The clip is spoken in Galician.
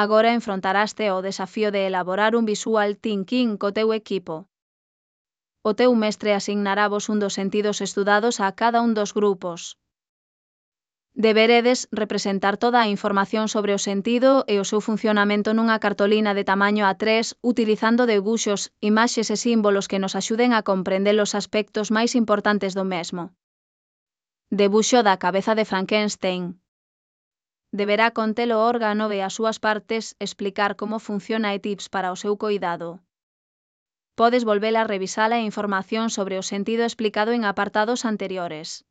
Agora enfrontaraste ao desafío de elaborar un visual thinking co teu equipo. O teu mestre asignará-vos un dos sentidos estudados a cada un dos grupos. Deberedes representar toda a información sobre o sentido e o seu funcionamento nunha cartolina de tamaño A3 utilizando debuxos, imaxes e símbolos que nos axuden a comprender os aspectos máis importantes do mesmo. Debuxo da cabeza de Frankenstein. Deberá conter o órgano e as súas partes, explicar como funciona e tips para o seu coidado. Podes volver a revisar a información sobre o sentido explicado en apartados anteriores.